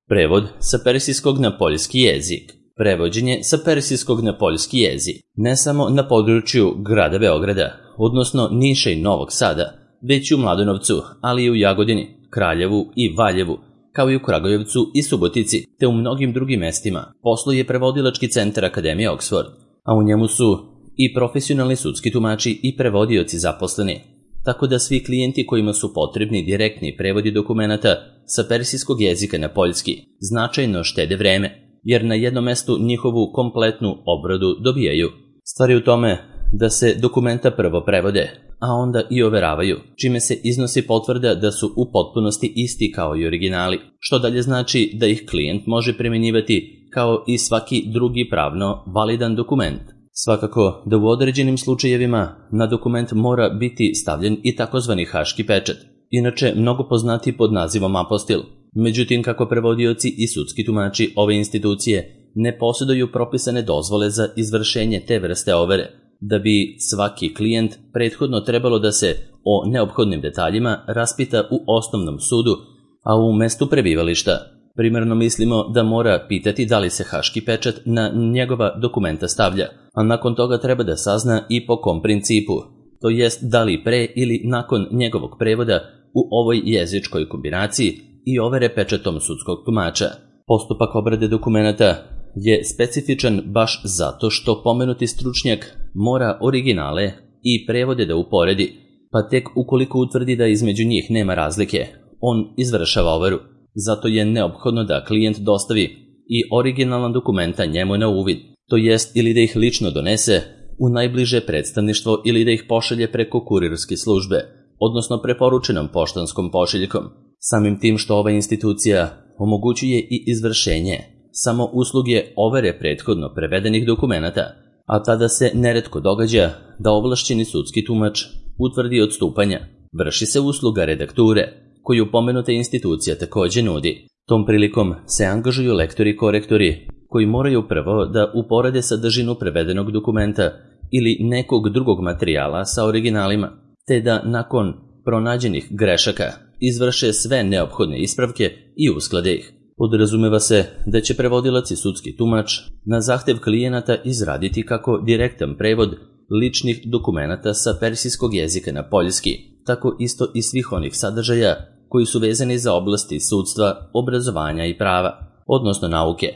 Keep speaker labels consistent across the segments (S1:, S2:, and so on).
S1: Prevod sa persijskog na poljski jezik. Prevođenje sa persijskog na poljski jezik. Ne samo na području grada Beograda, odnosno Niša i Novog Sada, već i u Mladenovcu, ali i u Jagodini, Kraljevu i Valjevu, kao i u Kragujevcu i Subotici, te u mnogim drugim mestima. Posluje prevodilački centar Akademije Oxford, a u njemu su i profesionalni sudski tumači i prevodioci zaposleni. Tako da svi klijenti kojima su potrebni direktni prevodi dokumenata sa persijskog jezika na poljski značajno štede vreme, jer na jednom mestu njihovu kompletnu obradu dobijaju. Stvar je u tome da se dokumenta prvo prevode, a onda i overavaju, čime se iznosi potvrda da su u potpunosti isti kao i originali, što dalje znači da ih klijent može primjenjivati kao i svaki drugi pravno validan dokument. Svakako da u određenim slučajevima na dokument mora biti stavljen i takozvani haški pečat, inače mnogo poznati pod nazivom apostil. Međutim, kako prevodioci i sudski tumači ove institucije ne posjeduju propisane dozvole za izvršenje te vrste overe, da bi svaki klijent prethodno trebalo da se o neophodnim detaljima raspita u osnovnom sudu, a u mestu prebivališta. Primarno mislimo da mora pitati da li se haški pečat na njegova dokumenta stavlja, a nakon toga treba da sazna i po kom principu, to jest da li pre ili nakon njegovog prevoda u ovoj jezičkoj kombinaciji i overe pečatom sudskog tumača. Postupak obrade dokumenata je specifičan baš zato što pomenuti stručnjak mora originale i prevode da uporedi, pa tek ukoliko utvrdi da između njih nema razlike, on izvršava overu. Zato je neophodno da klijent dostavi i originalna dokumenta njemu na uvid, to jest ili da ih lično donese u najbliže predstavništvo ili da ih pošalje preko kurirske službe, odnosno preporučenom poštanskom pošiljkom. Samim tim što ova institucija omogućuje i izvršenje samo usluge overe prethodno prevedenih dokumenata, a tada se neretko događa da ovlašćeni sudski tumač utvrdi odstupanja. Vrši se usluga redakture, koju pomenuta institucija takođe nudi. Tom prilikom se angažuju lektori i korektori, koji moraju prvo da uporede sadržinu prevedenog dokumenta ili nekog drugog materijala sa originalima, te da nakon pronađenih grešaka izvrše sve neophodne ispravke i usklade ih. Podrazumeva se da će prevodilac i sudski tumač na zahtev klijenata izraditi kako direktan prevod ličnih dokumenata sa persijskog jezika na poljski, tako isto i svih onih sadržaja koji su vezani za oblasti sudstva, obrazovanja i prava, odnosno nauke.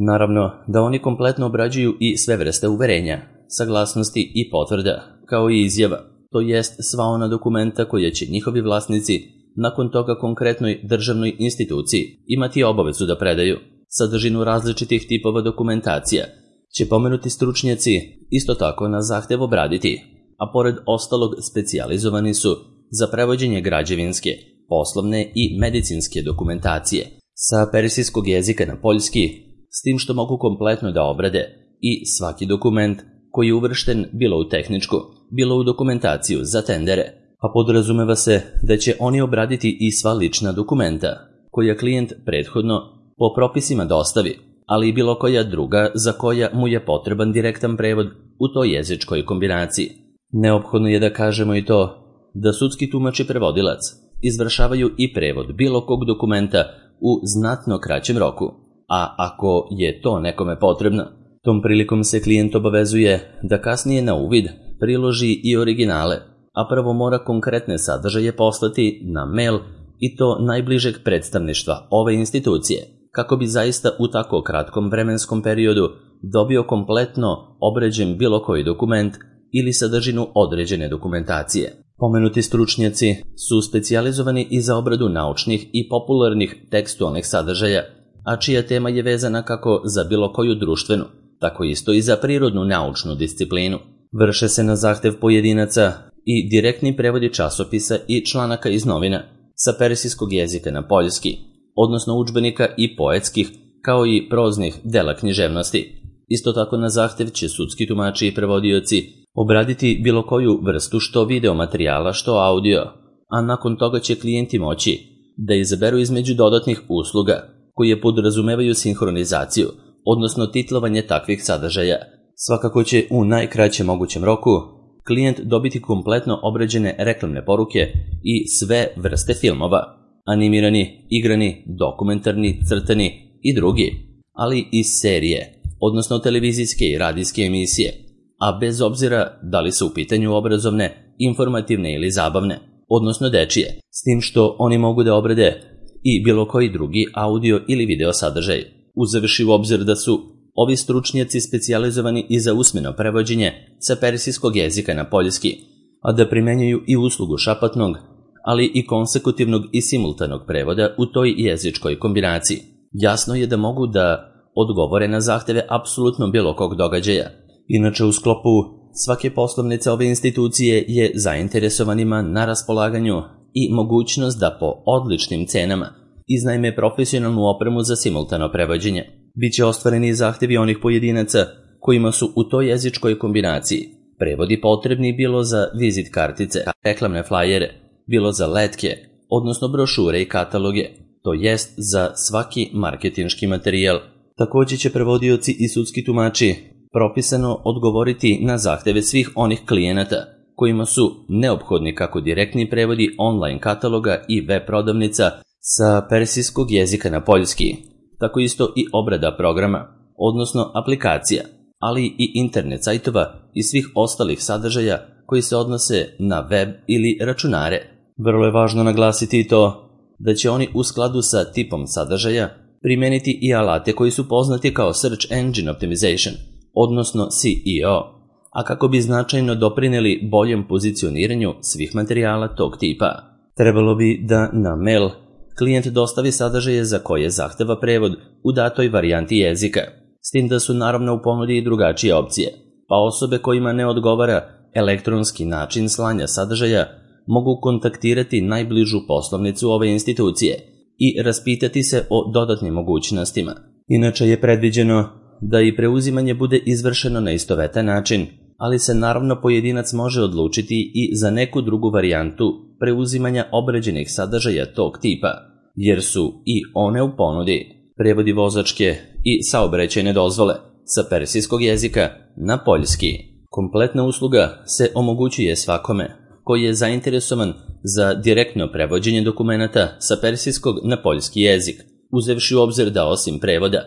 S1: Naravno da oni kompletno obrađuju i sve vrste uverenja, saglasnosti i potvrda, kao i izjava, to jest sva ona dokumenta koja će njihovi vlasnici nakon toga konkretnoj državnoj instituciji imati obavezu da predaju. Sadržinu različitih tipova dokumentacija će pomenuti stručnjaci isto tako na zahtev obraditi, a pored ostalog specijalizovani su za prevođenje građevinske, poslovne i medicinske dokumentacije sa persijskog jezika na poljski, s tim što mogu kompletno da obrade i svaki dokument koji je uvršten bilo u tehničku, bilo u dokumentaciju za tendere, a podrazumeva se da će oni obraditi i sva lična dokumenta koja klijent prethodno po propisima dostavi, ali i bilo koja druga za koja mu je potreban direktan prevod u toj jezičkoj kombinaciji. Neophodno je da kažemo i to da sudski tumač i prevodilac izvršavaju i prevod bilo kog dokumenta u znatno kraćem roku, a ako je to nekome potrebno, tom prilikom se klijent obavezuje da kasnije na uvid priloži i originale, a prvo mora konkretne sadržaje poslati na mail i to najbližeg predstavništva ove institucije, kako bi zaista u tako kratkom vremenskom periodu dobio kompletno obrađen bilo koji dokument ili sadržinu određene dokumentacije. Pomenuti stručnjaci su specijalizovani i za obradu naučnih i popularnih tekstualnih sadržaja, a čija tema je vezana kako za bilo koju društvenu, tako isto i za prirodnu naučnu disciplinu. Vrše se na zahtev pojedinaca i direktni prevodi časopisa i članaka iz novina sa persijskog jezika na poljski, odnosno udžbenika i poetskih, kao i proznih dela književnosti. Isto tako na zahtev će sudski tumači i prevodioci obraditi bilo koju vrstu što video materijala, što audio, a nakon toga će klijenti moći da izaberu između dodatnih usluga koje podrazumevaju sinhronizaciju, odnosno titlovanje takvih sadržaja. Svakako će u najkraćem mogućem roku klijent dobiti kompletno obrađene reklamne poruke i sve vrste filmova, animirani, igrani, dokumentarni, crtani i drugi, ali i serije, odnosno televizijske i radijske emisije, a bez obzira da li su u pitanju obrazovne, informativne ili zabavne, odnosno dečije, s tim što oni mogu da obrade i bilo koji drugi audio ili video sadržaj, uzevši u obzir da su ovi stručnjaci specijalizovani i za usmeno prevođenje sa persijskog jezika na poljski, a da primenjuju i uslugu šapatnog, ali i konsekutivnog i simultanog prevoda u toj jezičkoj kombinaciji. Jasno je da mogu da odgovore na zahteve apsolutno bilo kog događaja. Inače, u sklopu svake poslovnice ove institucije je zainteresovanima na raspolaganju i mogućnost da po odličnim cenama iznajme profesionalnu opremu za simultano prevođenje. Biće ostvareni zahtevi onih pojedinaca kojima su u toj jezičkoj kombinaciji prevodi potrebni bilo za vizit kartice, reklamne flajere, bilo za letke, odnosno brošure i kataloge, to jest za svaki marketinški materijal. Također će prevodioci i sudski tumači propisano odgovoriti na zahteve svih onih klijenata kojima su neophodni kako direktni prevodi online kataloga i web prodavnica sa persijskog jezika na poljski, tako isto i obrada programa, odnosno aplikacija, ali i internet sajtova i svih ostalih sadržaja koji se odnose na web ili računare. Vrlo je važno naglasiti to da će oni u skladu sa tipom sadržaja primeniti i alate koji su poznati kao Search Engine Optimization, odnosno SEO, a kako bi značajno doprineli boljem pozicioniranju svih materijala tog tipa. Trebalo bi da na mail klijent dostavi sadržaje za koje zahteva prevod u datoj varijanti jezika, s tim da su naravno u ponudi i drugačije opcije, pa osobe kojima ne odgovara elektronski način slanja sadržaja mogu kontaktirati najbližu poslovnicu ove institucije i raspitati se o dodatnim mogućnostima. Inače je predviđeno da i preuzimanje bude izvršeno na istovetan način, ali se naravno pojedinac može odlučiti i za neku drugu varijantu preuzimanja obrađenih sadržaja tog tipa, jer su i one u ponudi prevodi vozačke i saobraćajne dozvole sa persijskog jezika na poljski. Kompletna usluga se omogućuje svakome koji je zainteresovan za direktno prevođenje dokumenata sa persijskog na poljski jezik, uzevši u obzir da osim prevoda,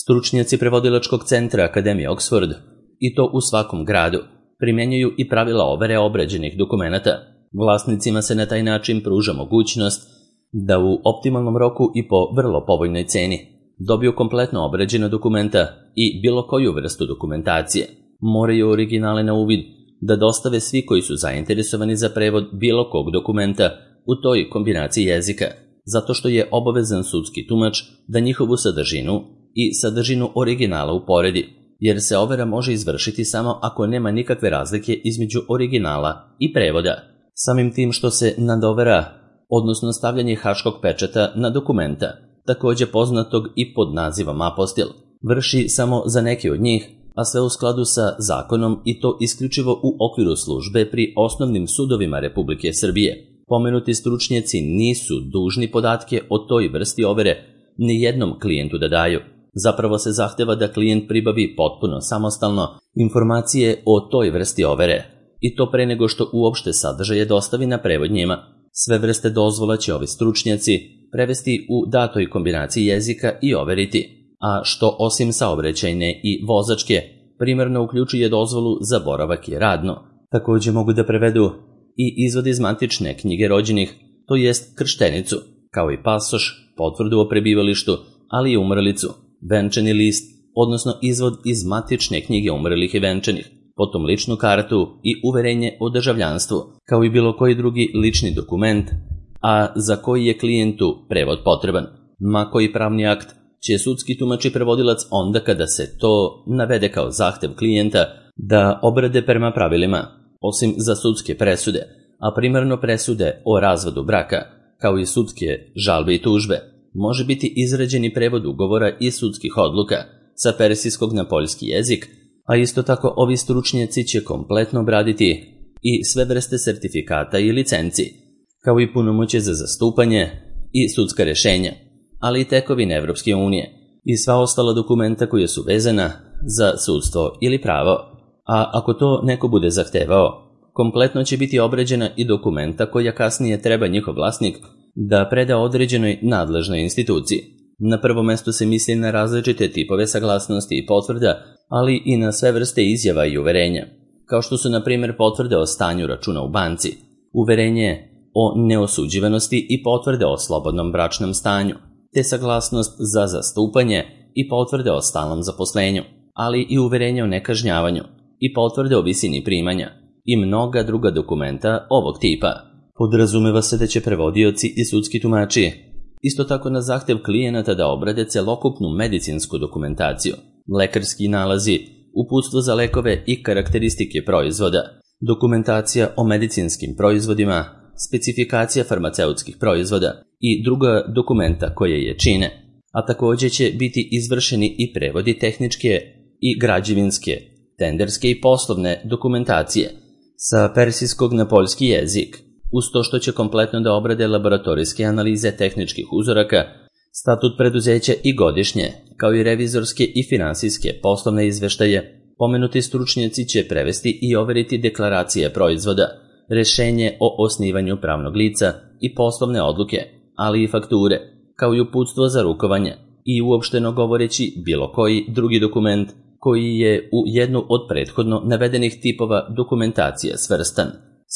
S1: stručnjaci prevodilačkog centra Akademije Oxford, i to u svakom gradu, primjenjuju i pravila overe obrađenih dokumenata. Vlasnicima se na taj način pruža mogućnost da u optimalnom roku i po vrlo povoljnoj ceni dobiju kompletno obrađena dokumenta i bilo koju vrstu dokumentacije. Moraju originale na uvid da dostave svi koji su zainteresovani za prevod bilo kog dokumenta u toj kombinaciji jezika, zato što je obavezan sudski tumač da njihovu sadržinu i sadržinu originala uporedi, jer se overa može izvršiti samo ako nema nikakve razlike između originala i prevoda. Samim tim što se nadovera, odnosno stavljanje haškog pečata na dokumenta, također poznatog i pod nazivom apostil, vrši samo za neke od njih, a sve u skladu sa zakonom i to isključivo u okviru službe pri osnovnim sudovima Republike Srbije. Pomenuti stručnjaci nisu dužni podatke o toj vrsti overe ni jednom klijentu da daju. Zapravo se zahteva da klijent pribavi potpuno samostalno informacije o toj vrsti overe, i to pre nego što uopšte sadržaje dostavi na prevod njima. Sve vrste dozvola će ovi stručnjaci prevesti u datoj kombinaciji jezika i overiti, a što osim saobraćajne i vozačke primarno uključuje dozvolu za boravak i radno. Također mogu da prevedu i izvod iz matične knjige rođenih, to jest krštenicu, kao i pasoš, potvrdu o prebivalištu, ali i umrlicu, venčani list, odnosno izvod iz matične knjige umrlih i venčanih, potom ličnu kartu i uverenje o državljanstvu, kao i bilo koji drugi lični dokument, a za koji je klijentu prevod potreban. Ma koji pravni akt će sudski tumač i prevodilac onda kada se to navede kao zahtev klijenta da obrade prema pravilima, osim za sudske presude, a primarno presude o razvodu braka, kao i sudske žalbe i tužbe, može biti izrađeni prevod ugovora i sudskih odluka sa persijskog na poljski jezik, a isto tako ovi stručnjaci će kompletno obraditi i sve vrste sertifikata i licenci, kao i punomoćje za zastupanje i sudska rešenja, ali i tekovine Evropske unije i sva ostala dokumenta koja su vezana za sudstvo ili pravo. A ako to neko bude zahtevao, kompletno će biti obrađena i dokumenta koja kasnije treba njihov vlasnik da preda određenoj nadležnoj instituciji. Na prvom mestu se misli na različite tipove saglasnosti i potvrda, ali i na sve vrste izjava i uverenja, kao što su na primjer potvrde o stanju računa u banci, uverenje o neosuđivanosti i potvrde o slobodnom bračnom stanju, te saglasnost za zastupanje i potvrde o stalnom zaposlenju, ali i uverenje o nekažnjavanju i potvrde o visini primanja i mnoga druga dokumenta ovog tipa. Podrazumeva se da će prevodioci i sudski tumači isto tako na zahtev klijenata da obrade celokupnu medicinsku dokumentaciju, lekarski nalazi, uputstvo za lekove i karakteristike proizvoda, dokumentacija o medicinskim proizvodima, specifikacija farmaceutskih proizvoda i druga dokumenta koje je čine, a također će biti izvršeni i prevodi tehničke i građevinske, tenderske i poslovne dokumentacije sa persijskog na poljski jezik, uz to što će kompletno da obrade laboratorijske analize tehničkih uzoraka, statut preduzeća i godišnje, kao i revizorske i finansijske poslovne izveštaje. Pomenuti stručnjaci će prevesti i overiti deklaracije proizvoda, rešenje o osnivanju pravnog lica i poslovne odluke, ali i fakture, kao i uputstvo za rukovanje i uopšteno govoreći bilo koji drugi dokument koji je u jednu od prethodno navedenih tipova dokumentacije svrstan.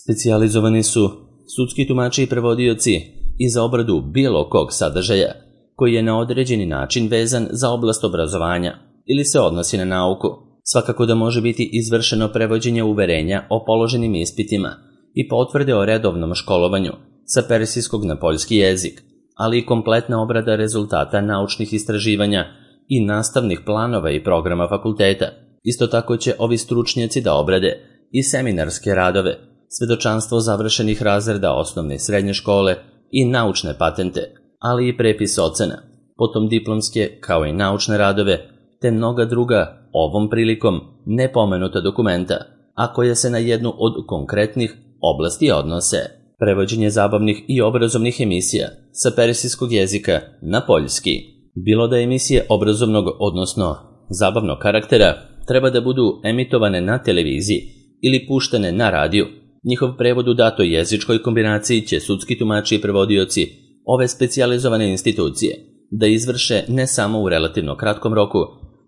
S1: Specijalizovani su sudski tumači i prevodioci i za obradu bilo kog sadržaja koji je na određeni način vezan za oblast obrazovanja ili se odnosi na nauku. Svakako da može biti izvršeno prevođenje uverenja o položenim ispitima i potvrde o redovnom školovanju sa persijskog na poljski jezik, ali i kompletna obrada rezultata naučnih istraživanja i nastavnih planova i programa fakulteta. Isto tako će ovi stručnjaci da obrade i seminarske radove, svedočanstvo završenih razreda osnovne i srednje škole i naučne patente, ali i prepis ocena, potom diplomske kao i naučne radove, te mnoga druga ovom prilikom nepomenuta dokumenta, a koja se na jednu od konkretnih oblasti odnose. Prevođenje zabavnih i obrazovnih emisija sa persijskog jezika na poljski. Bilo da emisije obrazovnog, odnosno zabavnog karaktera, treba da budu emitovane na televiziji ili puštene na radiju, njihov prevod u datoj jezičkoj kombinaciji će sudski tumači i prevodioci ove specijalizovane institucije da izvrše ne samo u relativno kratkom roku,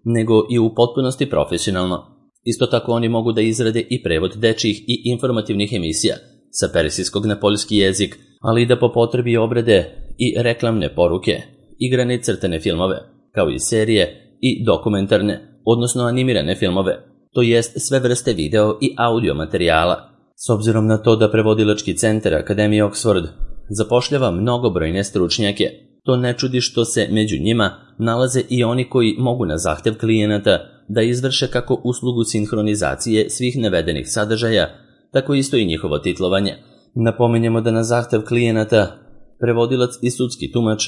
S1: nego i u potpunosti profesionalno. Isto tako oni mogu da izrade i prevod dečjih i informativnih emisija sa persijskog na poljski jezik, ali i da po potrebi obrade i reklamne poruke, igrane i crtane filmove, kao i serije i dokumentarne, odnosno animirane filmove, to jest sve vrste video i audio materijala. S obzirom na to da prevodilački centar Akademije Oxford zapošljava mnogobrojne stručnjake, to ne čudi što se među njima nalaze i oni koji mogu na zahtev klijenata da izvrše kako uslugu sinhronizacije svih navedenih sadržaja, tako isto i njihovo titlovanje. Napominjemo da na zahtev klijenata prevodilac i sudski tumač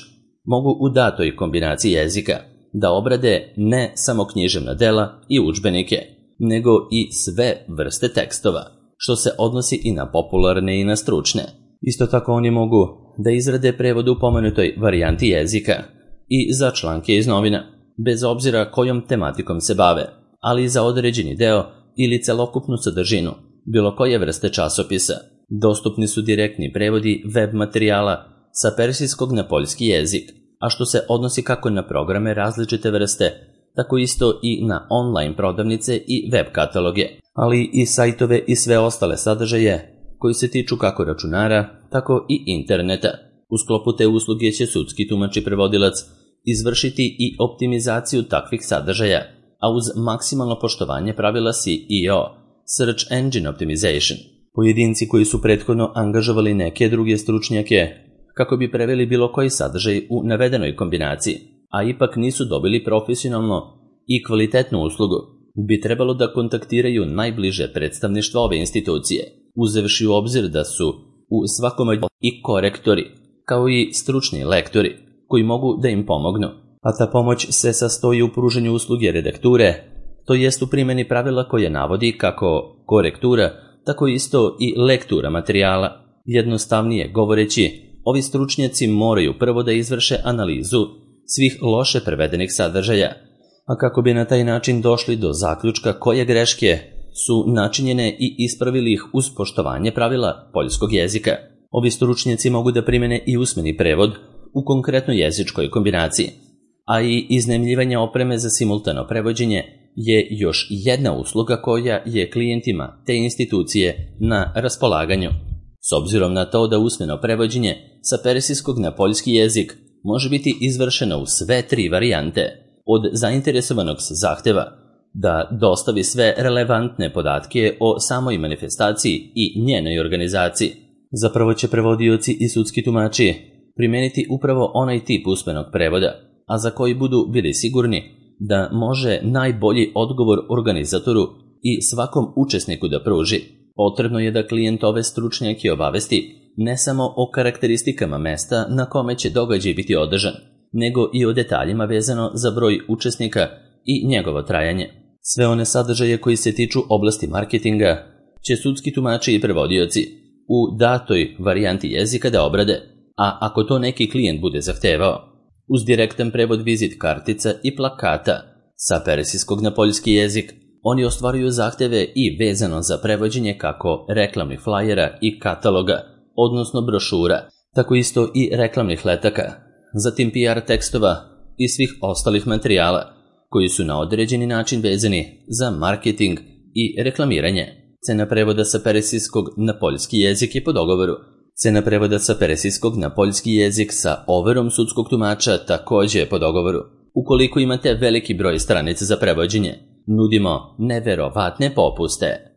S1: mogu u datoj kombinaciji jezika da obrade ne samo književna dela i udžbenike, nego i sve vrste tekstova, što se odnosi i na popularne i na stručne. Isto tako oni mogu da izrade prevod u pomenutoj varijanti jezika i za članke iz novina, bez obzira kojom tematikom se bave, ali i za određeni deo ili celokupnu sadržinu bilo koje vrste časopisa. Dostupni su direktni prevodi web materijala sa persijskog na poljski jezik, a što se odnosi kako na programe različite vrste, tako isto i na online prodavnice i web kataloge, ali i sajtove i sve ostale sadržaje koji se tiču kako računara, tako i interneta. U sklopu te usluge će sudski tumač i prevodilac izvršiti i optimizaciju takvih sadržaja, a uz maksimalno poštovanje pravila SEO, Search Engine Optimization. Pojedinci koji su prethodno angažovali neke druge stručnjake kako bi preveli bilo koji sadržaj u navedenoj kombinaciji, a ipak nisu dobili profesionalno i kvalitetnu uslugu, bi trebalo da kontaktiraju najbliže predstavništvo ove institucije, uzevši u obzir da su u svakom i korektori, kao i stručni lektori, koji mogu da im pomognu, a ta pomoć se sastoji u pruženju usluge redakture, to jest u primjeni pravila koje navodi kako korektura, tako isto i lektura materijala. Jednostavnije govoreći, ovi stručnjaci moraju prvo da izvrše analizu svih loše prevedenih sadržaja, a kako bi na taj način došli do zaključka koje greške su načinjene i ispravili ih uz poštovanje pravila poljskog jezika. Ovi stručnjaci mogu da primene i usmeni prevod u konkretnoj jezičkoj kombinaciji, a i iznajmljivanje opreme za simultano prevođenje je još jedna usluga koja je klijentima te institucije na raspolaganju. S obzirom na to da usmeno prevođenje sa persijskog na poljski jezik može biti izvršeno u sve 3 varijante, od zainteresovanog se zahteva da dostavi sve relevantne podatke o samoj manifestaciji i njenoj organizaciji. Zapravo će prevodioci i sudski tumači primijeniti upravo onaj tip usmenog prevoda, a za koji budu bili sigurni da može najbolji odgovor organizatoru i svakom učesniku da pruži. Potrebno je da klijent ove stručnjake obavesti ne samo o karakteristikama mesta na kome će događaj biti održan, nego i o detaljima vezano za broj učesnika i njegovo trajanje. Sve one sadržaje koji se tiču oblasti marketinga će sudski tumači i prevodioci u datoj varijanti jezika da obrade, a ako to neki klijent bude zahtevao, uz direktan prevod vizit kartica i plakata sa persijskog na poljski jezik, oni ostvaruju zahteve i vezano za prevođenje kako reklamnih flajera i kataloga, odnosno brošura, tako isto i reklamnih letaka, zatim PR tekstova i svih ostalih materijala koji su na određeni način vezani za marketing i reklamiranje. Cena prevoda sa persijskog na poljski jezik je po dogovoru. Cena prevoda sa persijskog na poljski jezik sa overom sudskog tumača također je po dogovoru. Ukoliko imate veliki broj stranica za prevođenje, nudimo neverovatne popuste.